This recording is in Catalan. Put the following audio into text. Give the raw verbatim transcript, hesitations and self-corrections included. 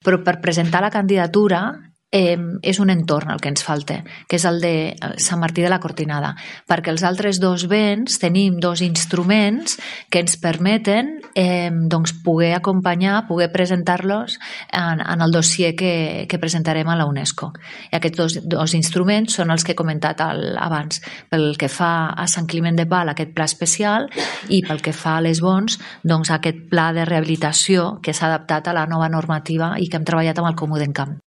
Però per presentar la candidatura eh, és un entorn el que ens falta, que és el de Sant Martí de la Cortinada, perquè els altres dos béns tenim dos instruments que ens permeten eh, doncs poder acompanyar, poder presentar-los en, en el dossier que, que presentarem a la UNESCO. I aquests dos, dos instruments són els que he comentat al, abans, pel que fa a Sant Climent de Pal, aquest pla especial, i pel que fa a les Bons, doncs aquest pla de rehabilitació que s'ha adaptat a la nova normativa i que hem treballat amb el Comú d'Encamp.